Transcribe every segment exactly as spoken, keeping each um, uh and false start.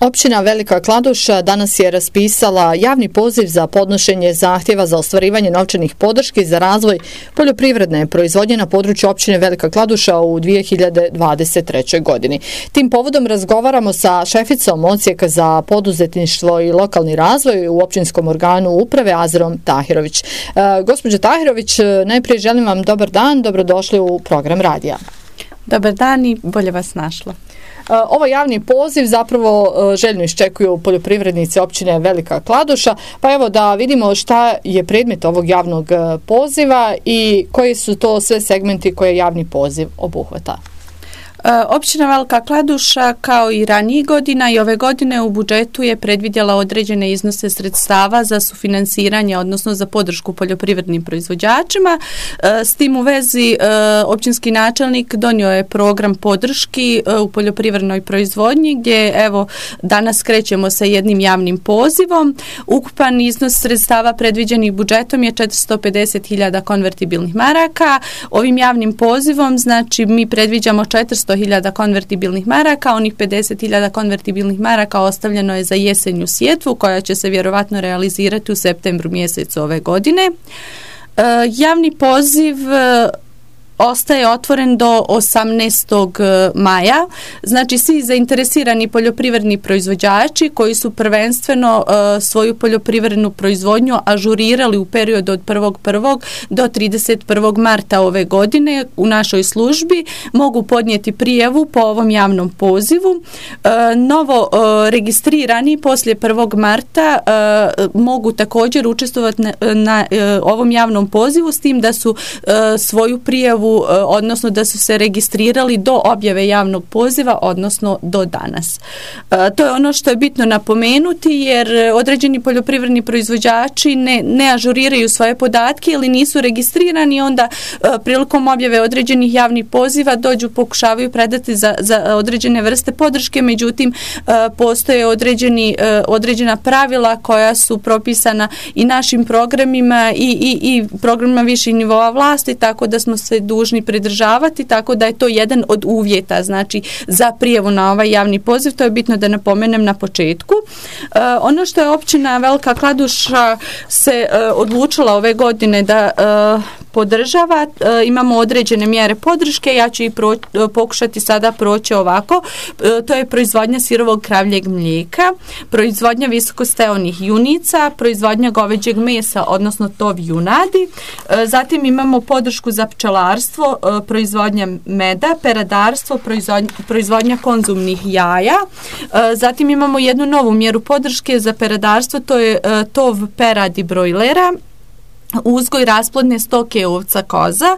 Općina Velika Kladuša danas je raspisala javni poziv za podnošenje zahtjeva za ostvarivanje novčanih podrški za razvoj poljoprivredne proizvodnje na području općine Velika Kladuša u dvije hiljade dvadeset trećoj. godini. Tim povodom razgovaramo sa šeficom Odsjeka za poduzetništvo i lokalni razvoj u općinskom organu uprave Azerom Tahirović. E, gospođo Tahirović, najprije želim vam dobar dan, dobrodošli u program radija. Dobar dan i bolje vas našla. Ovo javni poziv zapravo željno iščekuju poljoprivrednici općine Velika Kladuša, pa evo da vidimo šta je predmet ovog javnog poziva i koji su to sve segmenti koje javni poziv obuhvata. Općina Velika Kladuša kao i ranijih godina i ove godine u budžetu je predvidjela određene iznose sredstava za sufinansiranje, odnosno za podršku poljoprivrednim proizvođačima. S tim u vezi općinski načelnik donio je program podrški u poljoprivrednoj proizvodnji gdje evo danas krećemo sa jednim javnim pozivom. Ukupan iznos sredstava predviđenih budžetom je četiristo pedeset hiljada konvertibilnih maraka. Ovim javnim pozivom znači mi predviđamo četiristo hiljada konvertibilnih maraka, onih pedeset hiljada konvertibilnih maraka ostavljeno je za jesenju sjetvu koja će se vjerovatno realizirati u septembru mjesecu ove godine. E, javni poziv e, ostaje otvoren do osamnaestog maja. Znači svi zainteresirani poljoprivredni proizvođači koji su prvenstveno uh, svoju poljoprivrednu proizvodnju ažurirali u periodu od prvog prvog do trideset prvog marta ove godine u našoj službi mogu podnijeti prijavu po ovom javnom pozivu. Uh, novo uh, registrirani poslije prvog marta uh, mogu također učestvovati na, na uh, ovom javnom pozivu s tim da su uh, svoju prijavu odnosno da su se registrirali do objave javnog poziva, odnosno do danas. E, to je ono što je bitno napomenuti jer određeni poljoprivredni proizvođači ne, ne ažuriraju svoje podatke ili nisu registrirani, onda e, prilikom objave određenih javnih poziva dođu, pokušavaju predati za, za određene vrste podrške, međutim e, postoje određeni, e, određena pravila koja su propisana i našim programima i, i, i programima viših nivoa vlasti, tako da smo se dužni pridržavati, tako da je to jedan od uvjeta znači za prijavu na ovaj javni poziv. To je bitno da napomenem na početku. E, ono što je općina Velika Kladuša se e, odlučila ove godine da e, podržava, e, imamo određene mjere podrške, ja ću i pro, e, pokušati sada proći ovako. E, to je proizvodnja sirovog kravljeg mlijeka, proizvodnja visokosteonih junica, proizvodnja goveđeg mesa, odnosno tov junadi. E, zatim imamo podršku za pčelarstvo, proizvodnja meda, peradarstvo, proizvodnja, proizvodnja konzumnih jaja. Zatim imamo jednu novu mjeru podrške za peradarstvo, to je tov peradi brojlera, uzgoj rasplodne stoke ovca koza,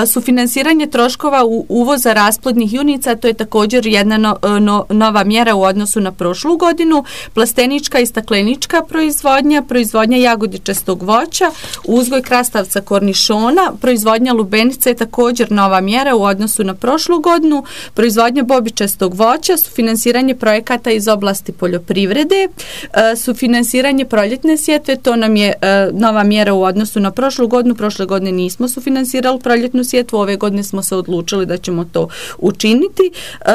sufinansiranje troškova uvoza rasplodnih junica, to je također jedna no, no, nova mjera u odnosu na prošlu godinu, plastenička i staklenička proizvodnja, proizvodnja jagodičastog voća, uzgoj krastavca kornišona, proizvodnja lubenice je također nova mjera u odnosu na prošlu godinu, proizvodnja bobičastog voća, sufinansiranje projekata iz oblasti poljoprivrede, sufinansiranje proljetne sjetve, to nam je nova mjera u odnosu na prošlu godinu. Prošle godine nismo sufinansirali proljetnu sjetvu, ove godine smo se odlučili da ćemo to učiniti. E,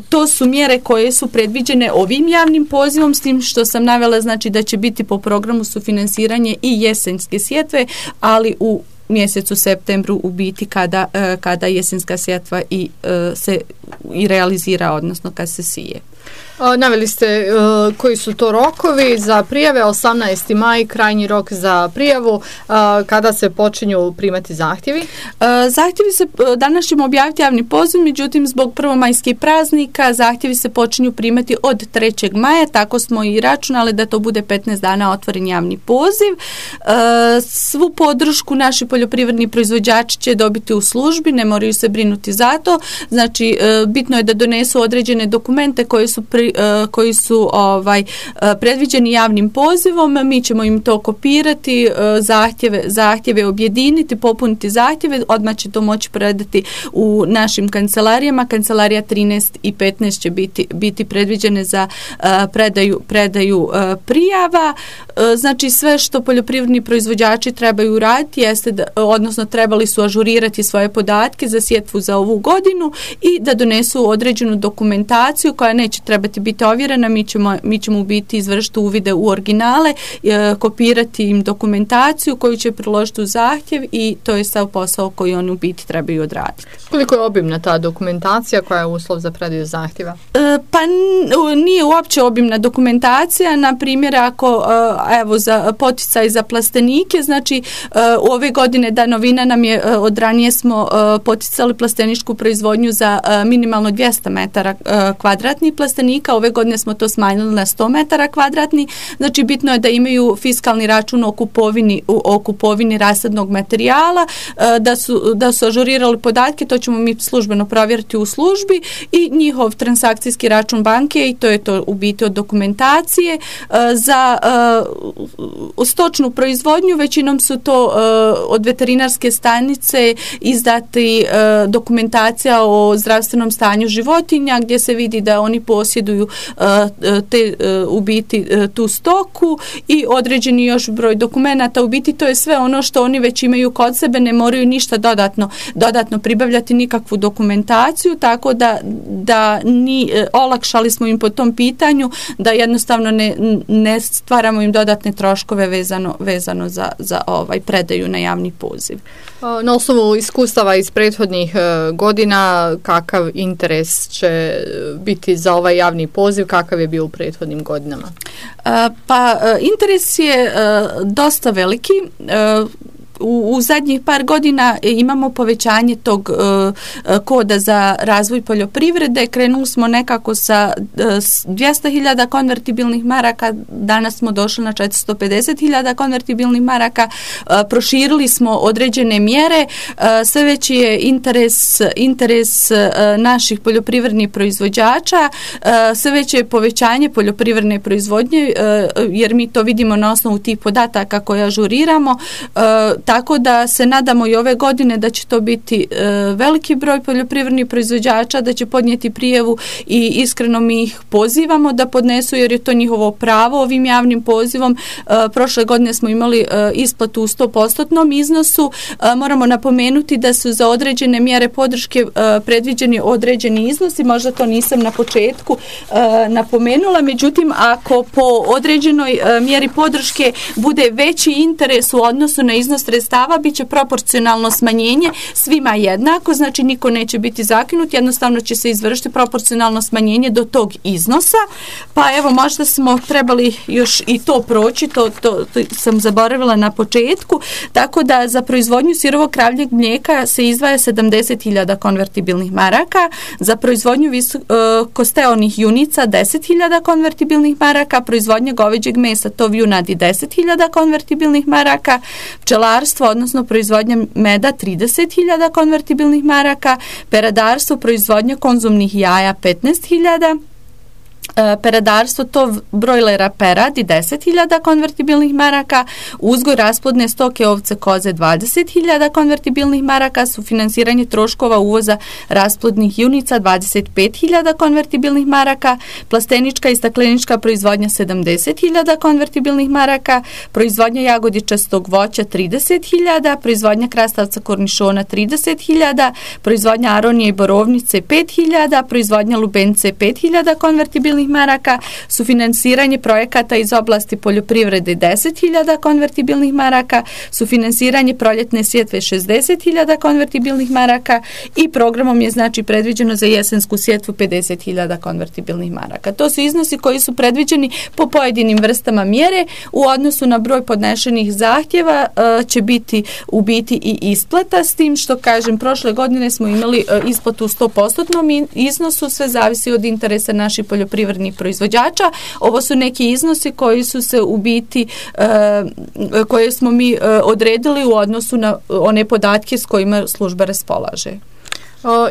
to su mjere koje su predviđene ovim javnim pozivom, s tim što sam navela znači da će biti po programu sufinansiranje i jesenske sjetve, ali u mjesecu septembru u biti kada, kada jesenska sjetva i, se i realizira, odnosno kad se sije. Naveli ste uh, koji su to rokovi za prijave, osamnaesti maj, krajnji rok za prijavu, uh, kada se počinju primati zahtjevi? Uh, zahtjevi se, danas ćemo objaviti javni poziv, međutim zbog prvomajskih praznika zahtjevi se počinju primati od trećeg maja, tako smo i računali da to bude petnaest dana otvoren javni poziv. Uh, svu podršku naši poljoprivredni proizvođači će dobiti u službi, ne moraju se brinuti za to, znači uh, bitno je da donesu određene dokumente koje su pri koji su ovaj predviđeni javnim pozivom, mi ćemo im to kopirati, zahtjeve, zahtjeve objediniti, popuniti zahtjeve, odmah će to moći predati u našim kancelarijama. Kancelarija trinaest i petnaest će biti, biti predviđene za predaju, predaju prijava. Znači sve što poljoprivredni proizvođači trebaju raditi jeste da, odnosno trebali su ažurirati svoje podatke za sjetvu za ovu godinu i da donesu određenu dokumentaciju koja neće trebati morati biti ovjerena, mi ćemo, mi ćemo u biti izvršiti uvide u originale, e, kopirati im dokumentaciju koju će priložiti u zahtjev i to je sav posao koji oni u biti trebaju odraditi. Koliko je obimna ta dokumentacija koja je uslov za predaju zahtjeva? E, pa n- nije uopće obimna dokumentacija, na primjer ako e, evo za poticaj za plastenike, znači e, u ove godine da novina nam je, e, od ranije smo e, poticali plasteničku proizvodnju za e, minimalno dvjesto metara e, kvadratnih plastenika, ove godine smo to smanjili na sto metara kvadratnih, znači bitno je da imaju fiskalni račun o kupovini, o kupovini rasadnog materijala, e, da su, da su ažurirali podatke, to ćemo mi službeno provjeriti u službi i njihov transakcijski račun banke i to je to u biti od dokumentacije. E, za e, stočnu proizvodnju većinom su to e, od veterinarske stanice izdati e, dokumentacija o zdravstvenom stanju životinja gdje se vidi da oni posjeduju e, te e, u biti e, tu stoku i određeni još broj dokumenata. U biti to je sve ono što oni već imaju kod sebe, ne moraju ništa dodatno, dodatno pribavljati nikakvu dokumentaciju, tako da, da ni, e, olakšali smo im po tom pitanju da jednostavno ne, ne stvaramo im dodatne troškove vezano, vezano za, za ovaj predaju na javni poziv. Na osnovu iskustava iz prethodnih godina, kakav interes će biti za ovaj javni poziv, kakav je bio u prethodnim godinama? Pa interes je dosta veliki. U, u zadnjih par godina imamo povećanje tog uh, koda za razvoj poljoprivrede. Krenuli smo nekako sa uh, dvjesto hiljada konvertibilnih maraka, danas smo došli na četiristo pedeset hiljada konvertibilnih maraka, uh, proširili smo određene mjere, uh, sve veći je interes, interes uh, naših poljoprivrednih proizvođača, uh, sve veće je povećanje poljoprivredne proizvodnje, uh, jer mi to vidimo na osnovu tih podataka koje ažuriramo, uh, tako da se nadamo i ove godine da će to biti e, veliki broj poljoprivrednih proizvođača, da će podnijeti prijavu i iskreno mi ih pozivamo da podnesu jer je to njihovo pravo ovim javnim pozivom. E, prošle godine smo imali e, isplatu u sto posto iznosu. E, moramo napomenuti da su za određene mjere podrške e, predviđeni određeni iznosi, možda to nisam na početku e, napomenula, međutim ako po određenoj e, mjeri podrške bude veći interes u odnosu na iznos sredstava, bit će proporcionalno smanjenje svima jednako, znači niko neće biti zakinut, jednostavno će se izvršiti proporcionalno smanjenje do tog iznosa, pa evo možda smo trebali još i to proći, to, to, to sam zaboravila na početku, tako da za proizvodnju sirovog kravljeg mlijeka se izdvaja sedamdeset hiljada konvertibilnih maraka, za proizvodnju visokosteonih junica deset hiljada konvertibilnih maraka, proizvodnja goveđeg mesa, tov junadi deset hiljada konvertibilnih maraka, pčelarstvo, odnosno proizvodnja meda trideset hiljada konvertibilnih maraka, peradarstvo, proizvodnja konzumnih jaja petnaest hiljada, peradarstvo, to brojlera peradi deset hiljada konvertibilnih maraka, uzgoj rasplodne stoke ovce koze dvadeset hiljada konvertibilnih maraka, sufinansiranje troškova uvoza rasplodnih junica dvadeset pet hiljada konvertibilnih maraka, plastenička i staklenička proizvodnja sedamdeset hiljada konvertibilnih maraka, proizvodnja jagodičastog voća trideset hiljada, proizvodnja krastavca kornišona trideset hiljada, proizvodnja aronije i borovnice pet hiljada, proizvodnja lubenice pet hiljada konvertibilnih maraka, sufinansiranje projekata iz oblasti poljoprivrede deset hiljada konvertibilnih maraka, sufinansiranje proljetne sjetve šezdeset hiljada konvertibilnih maraka i programom je znači predviđeno za jesensku sjetvu pedeset hiljada konvertibilnih maraka. To su iznosi koji su predviđeni po pojedinim vrstama mjere. U odnosu na broj podnešenih zahtjeva uh, će biti u biti i isplata, s tim što kažem prošle godine smo imali uh, isplatu u sto posto iznosu, sve zavisi od interesa naših poljoprivrednih proizvođača. Ovo su neki iznosi koji su se u biti uh, koje smo mi uh, odredili u odnosu na one podatke s kojima služba raspolaže.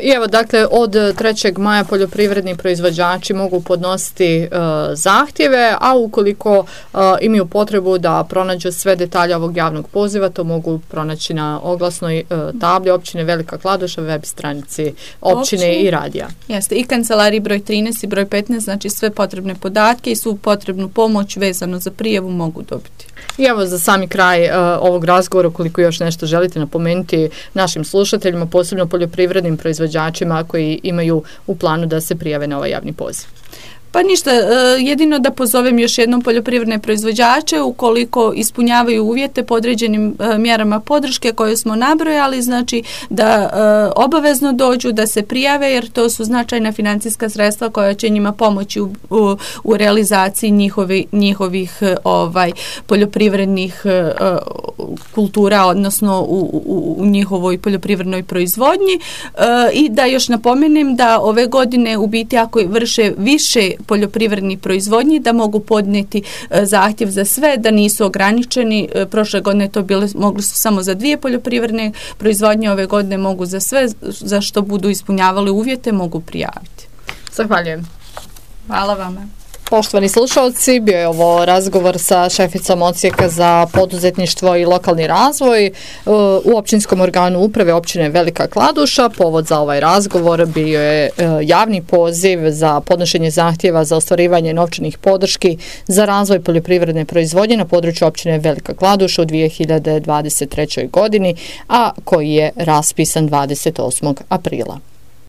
I evo, dakle, od trećeg maja poljoprivredni proizvođači mogu podnositi uh, zahtjeve, a ukoliko uh, imaju potrebu da pronađu sve detalje ovog javnog poziva, to mogu pronaći na oglasnoj uh, tabli općine Velika Kladuša, web stranici općine Općine. I radija. Jeste, i kancelariji broj trinaest i broj petnaest, znači sve potrebne podatke i svu potrebnu pomoć vezano za prijavu mogu dobiti. I evo za sami kraj uh, ovog razgovora, ukoliko još nešto želite napomenuti našim slušateljima, posebno poljoprivrednim proizvođačima koji imaju u planu da se prijave na ovaj javni poziv. Pa ništa, jedino da pozovem još jednom poljoprivredne proizvođače ukoliko ispunjavaju uvjete po određenim mjerama podrške koje smo nabrojali, znači da obavezno dođu, da se prijave jer to su značajna financijska sredstva koja će njima pomoći u, u, u realizaciji njihovi, njihovih ovaj, poljoprivrednih kultura, odnosno u, u, u njihovoj poljoprivrednoj proizvodnji. I da još napomenem da ove godine u biti ako vrše više poljoprivrednih proizvodnji da mogu podnijeti zahtjev za sve, da nisu ograničeni. Prošle godine to bile, mogli su samo za dvije poljoprivredne proizvodnje, ove godine mogu za sve, za što budu ispunjavali uvjete, mogu prijaviti. Zahvaljujem. Hvala vama. Poštovani slušalci, bio je ovo razgovor sa šeficom Odsjeka za poduzetništvo i lokalni razvoj u općinskom organu uprave općine Velika Kladuša. Povod za ovaj razgovor bio je javni poziv za podnošenje zahtjeva za ostvarivanje novčanih podrški za razvoj poljoprivredne proizvodnje na području općine Velika Kladuša u dvije hiljade dvadeset trećoj godini, a koji je raspisan dvadeset osmog aprila.